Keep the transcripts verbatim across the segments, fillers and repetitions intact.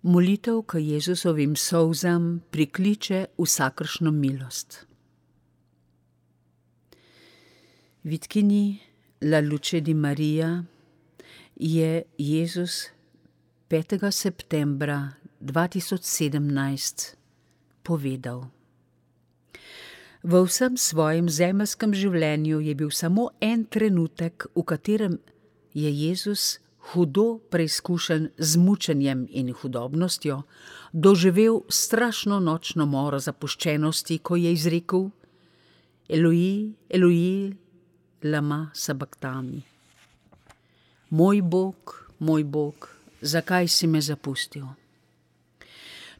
Molitev k Jezusovim solzam prikliče vsakršno milost. Vitkini La Luce di Maria je Jezus petega septembra dva tisoč sedemnajst povedal: V vsem svojem zemeljskem življenju je bil samo en trenutek, v katerem je Jezus, hudo preizkušen z mučenjem in hudobnostjo, doživel strašno nočno moro zapuščenosti, ko je izrekel: Eloi, Eloi, lama sabachthani. Moj Bog, moj Bog, zakaj si me zapustil?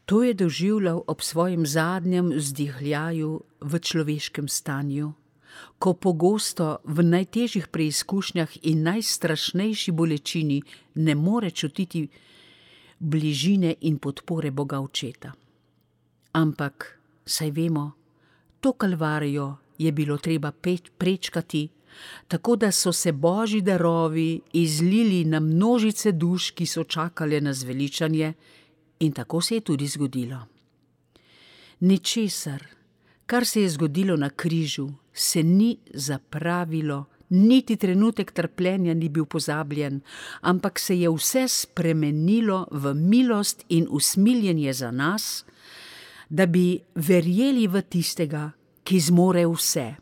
To je doživljal ob svojem zadnjem vzdihljaju v človeškem stanju, ko pogosto v najtežjih preizkušnjah in najstrašnejši bolečini ne more čutiti bližine in podpore Boga Očeta. Ampak, saj vemo, to kalvarijo je bilo treba prečkati, tako da so se Božji darovi izlili na množice duš, ki so čakale na zveličanje, in tako se je tudi zgodilo. Ničesar, kar se je zgodilo na križu, se ni zapravilo, niti trenutek trpljenja ni bil pozabljen, ampak se je vse spremenilo v milost in usmiljenje za nas, da bi verjeli v tistega, ki zmore vse.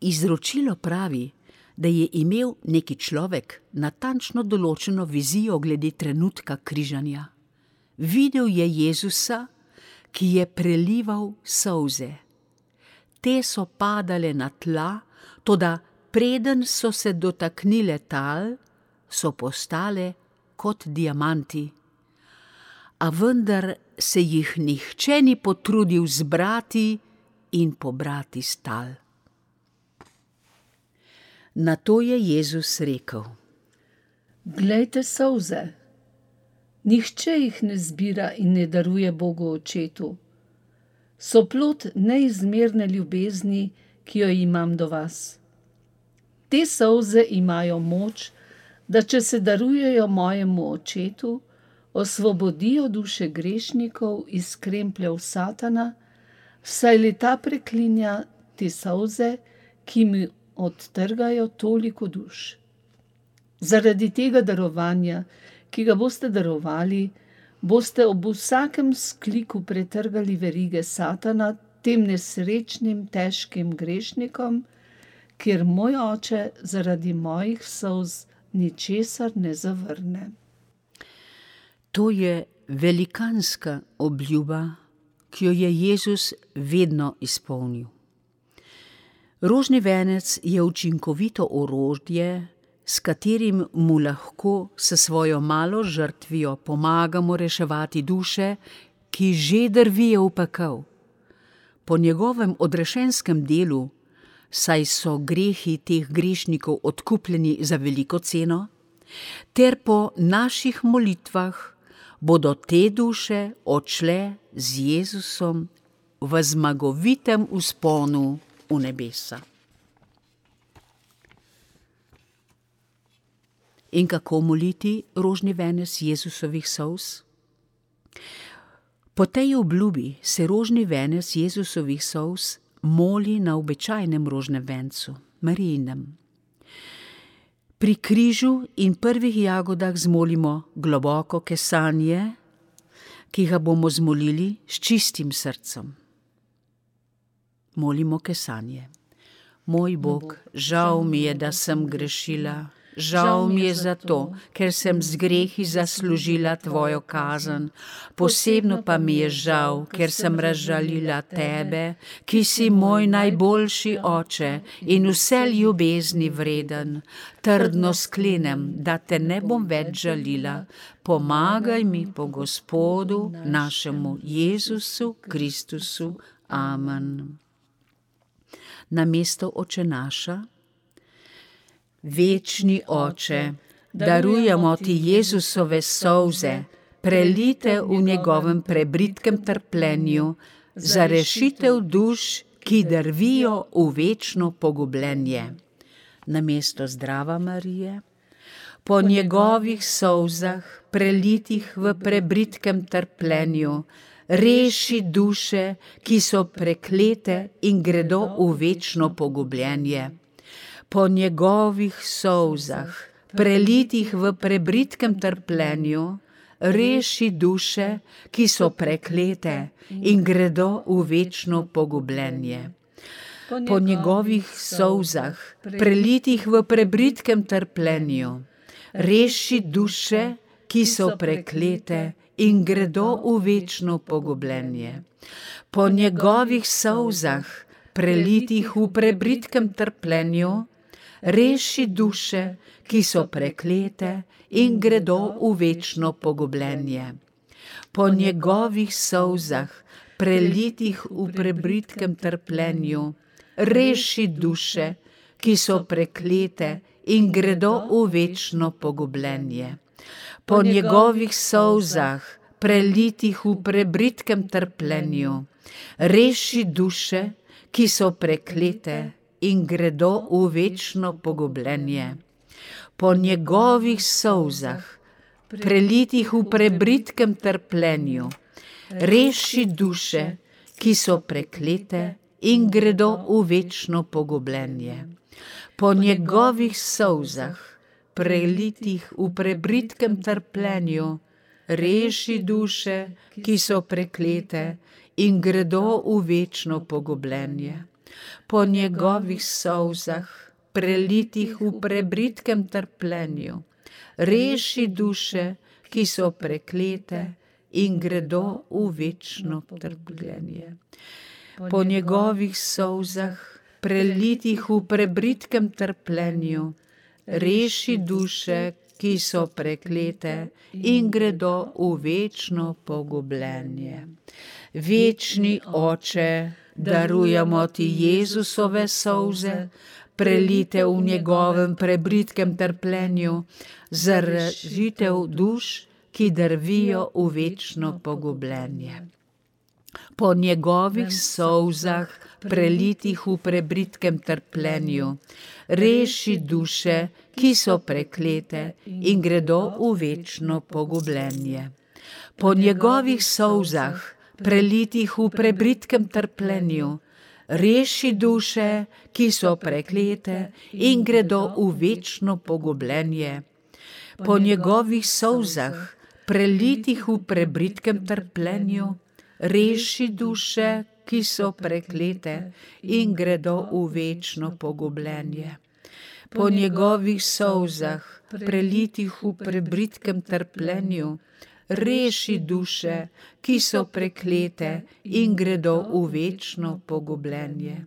Izročilo pravi, da je imel neki človek natančno določeno vizijo glede trenutka križanja. Videl je Jezusa, ki je prelival solze. Te so padale na tla, toda preden so se dotaknile tal, so postale kot diamanti. A vendar se jih nihče ni potrudil zbrati in pobrati s tal. Nato je Jezus rekel: Glejte solze, nihče jih ne zbira in ne daruje Bogu Očetu. So plod neizmerne ljubezni, ki jo imam do vas. Te solze imajo moč, da če se darujejo mojemu Očetu, osvobodijo duše grešnikov iz krempljev Satana, saj le ta preklinja te solze, ki mi odtrgajo toliko duš. Zaradi tega darovanja, ki ga boste darovali, boste ob vsakem skliku pretrgali verige Satana tem nesrečnim, težkim grešnikom, kjer moj Oče zaradi mojih solz ničesar ne zavrne. To je velikanska obljuba, ki jo je Jezus vedno izpolnil. Rožni venec je učinkovito orodje, s katerim mu lahko s svojo malo žrtvijo pomagamo reševati duše, ki že drvijo v pekel. Po njegovem odrešenskem delu, saj so grehi teh grešnikov odkupljeni za veliko ceno, ter po naših molitvah bodo te duše odšle z Jezusom v zmagovitem vzponu v nebesa. In kako moliti rožni venec Jezusovih solz? Po tej obljubi se rožni venec Jezusovih solz moli na običajnem rožnem vencu, Marijinem. Pri križu in prvih jagodah zmolimo globoko kesanje, ki ga bomo zmolili s čistim srcem. Molimo kesanje. Moj Bog, žal mi je, da sem grešila. Žal mi je zato, ker sem z grehi zaslužila tvojo kazen. Posebno pa mi je žal, ker sem razžalila tebe, ki si moj najboljši Oče in vse ljubezni vreden. Trdno sklenem, da te ne bom več žalila. Pomagaj mi po Gospodu, našemu Jezusu Kristusu. Amen. Namesto Oče naša: Večni Oče, darujemo ti Jezusove solze, prelite v njegovem prebritkem trpljenju, za rešitev duš, ki drvijo v večno pogubljenje. Namesto Zdrava Marije, Po njegovih solzah, prelitih v prebritkem trpljenju, reši duše, ki so preklete in gredo v večno pogubljenje. Po njegovih solzah, prelitih v prebritkem trpljenju, reši duše, ki so preklete in gredo v večno pogubljenje. Po njegovih solzah, prelitih v prebritkem trpljenju, reši duše, ki so preklete in gredo v večno pogubljenje. Po njegovih solzah, prelitih v prebritkem trpljenju, reši duše, ki so preklete in gredo v večno pogubljenje. Po njegovih solzah, prelitih v prebritkem trpljenju, reši duše, ki so preklete in gredo v večno pogubljenje. Po njegovih solzah, prelitih v prebritkem trpljenju, reši duše, ki so preklete in gredo v večno pogubljenje. Po njegovih solzah, prelitih v prebritkem trpljenju, reši duše, ki so preklete in gredo v večno pogubljenje. Po njegovih solzah, prelitih v prebritkem trpljenju, reši duše, ki so preklete in gredo v večno pogubljenje. Po njegovih solzah, prelitih v prebritkem trpljenju, reši duše, ki so preklete in gredo v večno trpljenje. Po njegovih solzah, prelitih v prebritkem trpljenju, reši duše, ki so preklete in gredo v večno pogubljenje. Večni Oče, darujemo ti Jezusove solze, prelite v njegovem prebritkem trpljenju, za rešitev duš, ki drvijo v večno pogubljenje. Po njegovih solzah, prelitih v prebritkem trpljenju, reši duše, ki so preklete in gredo v večno pogubljenje. Po njegovih solzah, prelitih v prebritkem trpljenju, reši duše, ki so preklete in gredo v večno pogubljenje. Po njegovih solzah, prelitih v prebritkem trpljenju, reši duše, ki so preklete in gredo v večno pogubljenje. Po njegovih solzah, prelitih v prebritkem trpljenju, reši duše, ki so preklete in gredo v večno pogubljenje.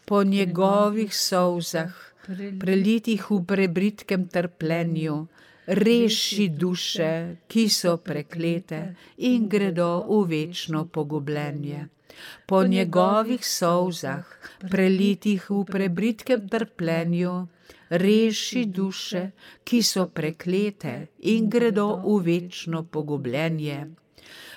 Po njegovih solzah, prelitih v prebritkem trpljenju, reši duše, ki so preklete in gredo v večno pogubljenje. Po njegovih solzah, prelitih v prebritkem trpljenju, reši duše, ki so preklete in gredo v večno pogubljenje.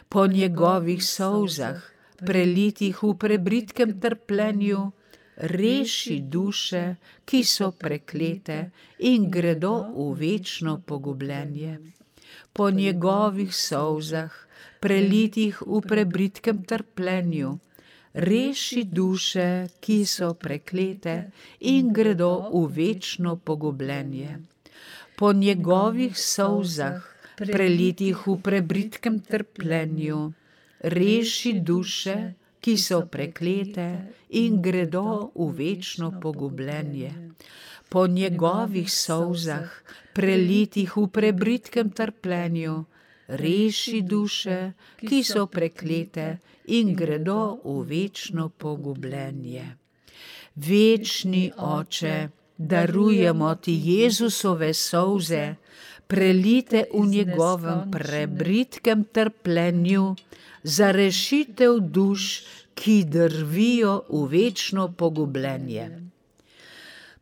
Po njegovih solzah, prelitih v prebritkem trpljenju, reši duše, ki so preklete in gredo v večno pogubljenje. Po njegovih solzah, prelitih v prebritkem trpljenju, reši duše, ki so preklete in gredo v večno pogubljenje. Po njegovih solzah, prelitih v prebritkem trpljenju, reši duše, ki so preklete in gredo v večno pogubljenje. Po njegovih solzah, prelitih v prebritkem trpljenju, reši duše, ki so preklete in gredo v večno pogubljenje. Večni Oče, darujemo ti Jezusove solze, prelite v njegovem prebritkem trpljenju, za rešitev duš, ki drvijo v večno pogubljenje.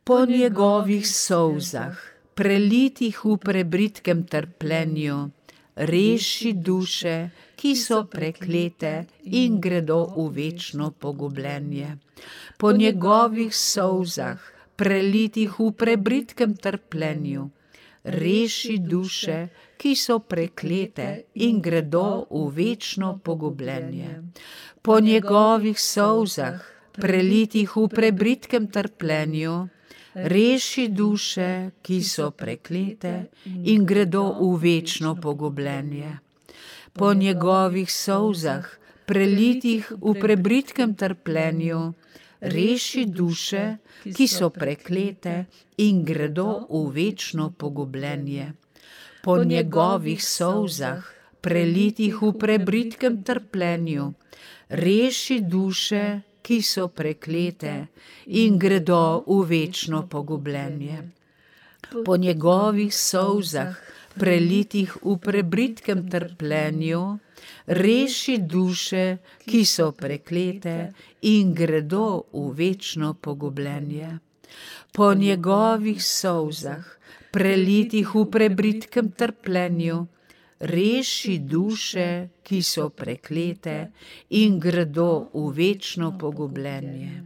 Po njegovih solzah, prelitih v prebritkem trpljenju, reši duše, ki so preklete in gredo v večno pogubljenje. Po njegovih solzah, prelitih v prebritkem trpljenju, reši duše, ki so preklete in gredo v večno pogubljenje. Po njegovih solzah, prelitih v prebritkem trpljenju, reši duše, ki so preklete in gredo v večno pogubljenje. Po njegovih solzah, prelitih v prebritkem trpljenju, reši duše, ki so preklete in gredo v večno pogubljenje. Po njegovih solzah, prelitih v prebritkem trpljenju, reši duše, ki so preklete in gredo v večno pogubljenje. Po njegovih solzah, prelitih v prebritkem trpljenju, reši duše, ki so preklete in gredo v večno pogubljenje. Po njegovih solzah, prelitih v prebritkem trpljenju, reši duše, ki so preklete in gredo v večno pogubljenje.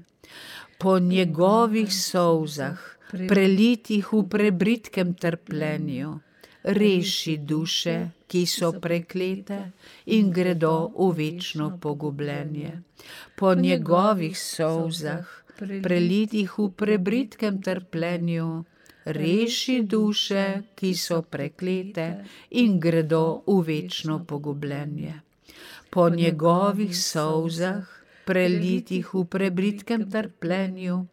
Po njegovih solzah, prelitih v prebritkem trpljenju, reši duše, ki so preklete in gredo v večno pogubljenje. Po njegovih solzah, prelitih v prebritkem trpljenju, reši duše, ki so preklete in gredo v večno pogubljenje. Po njegovih solzah, prelitih v prebritkem trpljenju,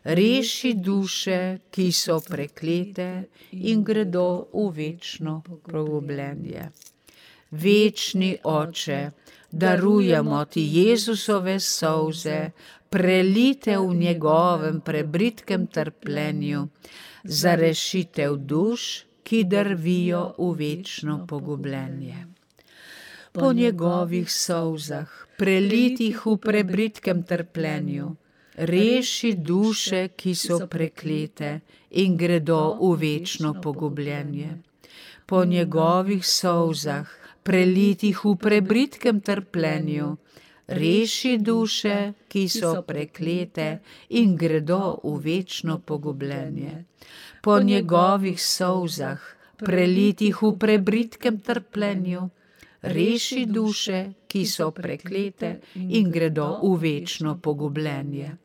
reši duše, ki so preklete in gredo v večno pogubljenje. Večni Oče, darujemo ti Jezusove solze, prelite v njegovem prebritkem trpljenju, za rešitev duš, ki drvijo v večno pogubljenje. Po njegovih solzah, prelitih v prebritkem trpljenju, reši duše, ki so preklete in gredo v večno pogubljenje. Po njegovih solzah, prelitih v prebritkem trpljenju, reši duše, ki so preklete in gredo v večno pogubljenje. Po njegovih solzah, prelitih v prebritkem trpljenju, reši duše, ki so preklete in gredo v večno pogubljenje.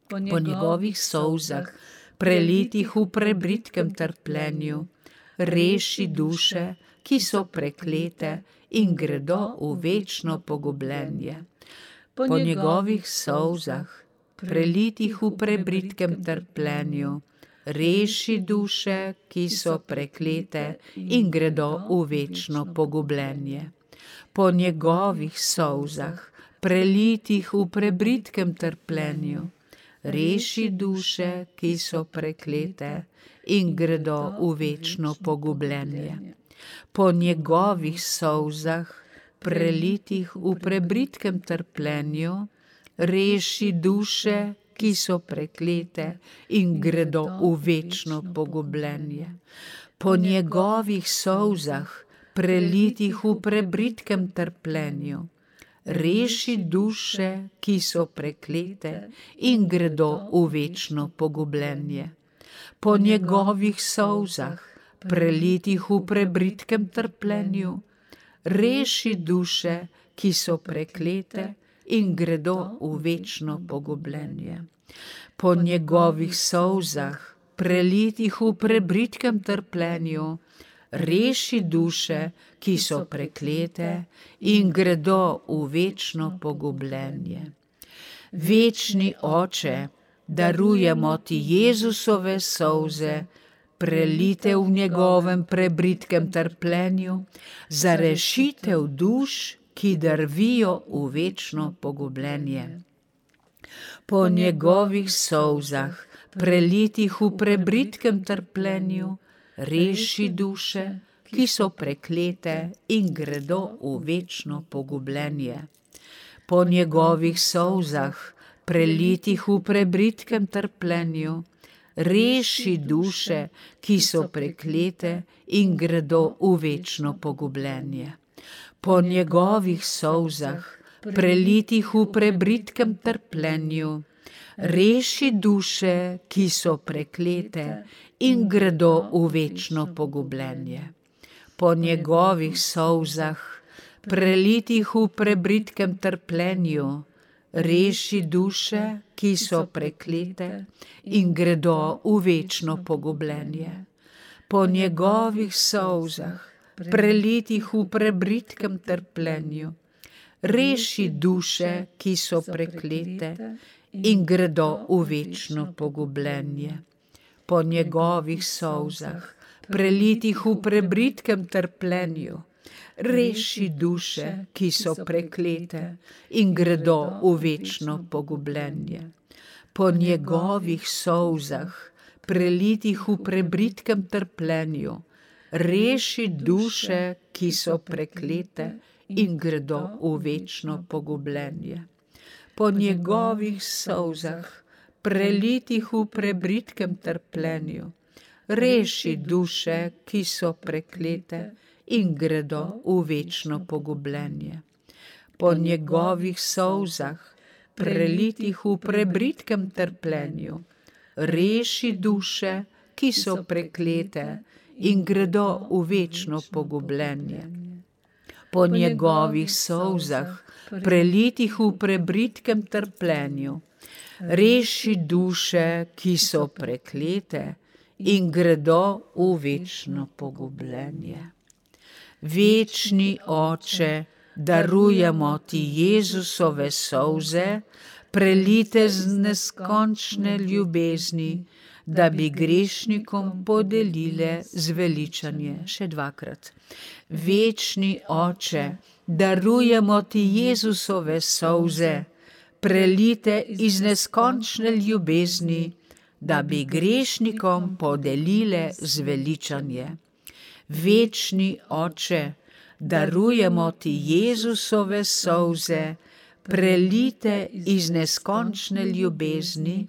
Po njegovih solzah, prelitih v prebritkem trpljenju, reši duše, ki so preklete in gredo v večno pogubljenje. Po njegovih solzah, prelitih v prebritkem trpljenju, reši duše, ki so preklete in gredo v večno pogubljenje. Po njegovih solzah, prelitih v prebritkem trpljenju, reši duše, ki so preklete in gredo v večno pogubljenje. Po njegovih solzah, prelitih v prebritkem trpljenju, reši duše, ki so preklete in gredo v večno pogubljenje. Po njegovih solzah, prelitih v prebritkem trpljenju, reši duše, ki so preklete in gredo v večno pogubljenje. Po njegovih solzah, prelitih v prebritkem trpljenju, reši duše, ki so preklete in gredo v večno pogubljenje. Po njegovih solzah, prelitih v prebritkem trpljenju, reši duše, ki so preklete in gredo v večno pogubljenje. Večni Oče, darujemo ti Jezusove solze, prelite v njegovem prebritkem trpljenju, za rešitev duš, ki drvijo v večno pogubljenje. Po njegovih solzah, prelitih v prebritkem trpljenju, reši duše, ki so preklete in gredo v večno pogubljenje. Po njegovih solzah, prelitih v prebritkem trpljenju, reši duše, ki so preklete in gredo v večno pogubljenje. Po njegovih solzah, prelitih v prebritkem trpljenju, reši duše, ki so preklete in gredo v večno pogubljenje. Po njegovih solzah, prelitih v prebritkem trpljenju, reši duše, ki so preklete in gredo v večno pogubljenje. Po njegovih solzah, prelitih v prebritkem trpljenju, reši duše, ki so preklete in gredo v večno pogubljenje. Po njegovih solzah, prelitih v prebritkem trpljenju, reši duše, ki so preklete in gredo v večno pogubljenje. Po njegovih solzah, prelitih v prebritkem trpljenju, reši duše, ki so preklete in gredo v večno pogubljenje. Po njegovih solzah, prelitih v prebritkem trpljenju, reši duše, ki so preklete in gredo v večno pogubljenje. Po njegovih solzah, prelitih v prebritkem trpljenju, reši duše, ki so preklete in gredo v večno pogubljenje. Po njegovih solzah, prelitih v prebritkem trpljenju, reši duše, ki so preklete in gredo v večno pogubljenje. Večni Oče, darujemo ti Jezusove solze, prelite z neskončne ljubezni, da bi grešnikom podelile zveličanje. Še dvakrat. Večni Oče, darujemo ti Jezusove solze, prelite iz neskončne ljubezni, da bi grešnikom podelile zveličanje. Večni Oče, darujemo ti Jezusove solze, prelite iz neskončne ljubezni,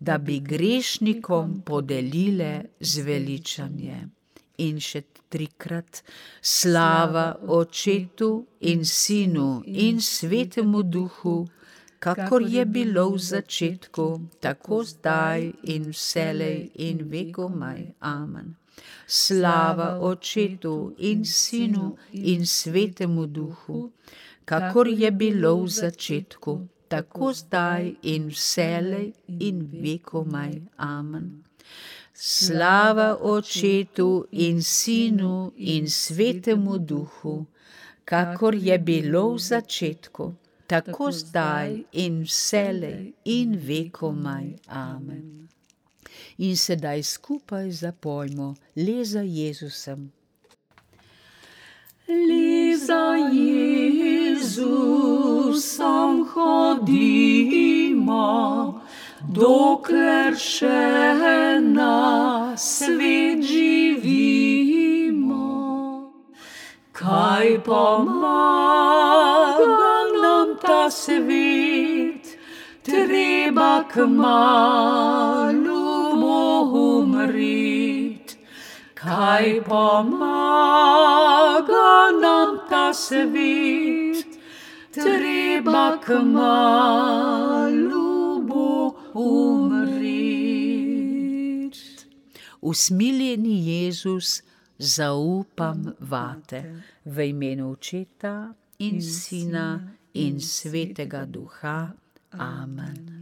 da bi grešnikom podelile zveličanje. In še trikrat, slava Očetu in Sinu in Svetemu Duhu, kakor je bilo v začetku, tako zdaj in vselej in vekomaj. Amen. Slava Očetu in Sinu in Svetemu Duhu, kakor je bilo v začetku, tako zdaj in vselej in vekomaj. Amen. Slava Očetu in Sinu in Svetemu Duhu, kakor je bilo v začetku, tako zdaj in vselej in vekomaj. Amen. In sedaj skupaj zapojmo Le za Jezusem. Le za Jezusom hodimo, dokler še na svet živimo. Kaj pomaga nam ta svet, treba kmalu bo umret. Kaj pomaga nam ta svet, treba kmalu bo umret. Usmiljeni Jezus, zaupam vate, v imenu Očeta in Sina in Svetega Duha. Amen.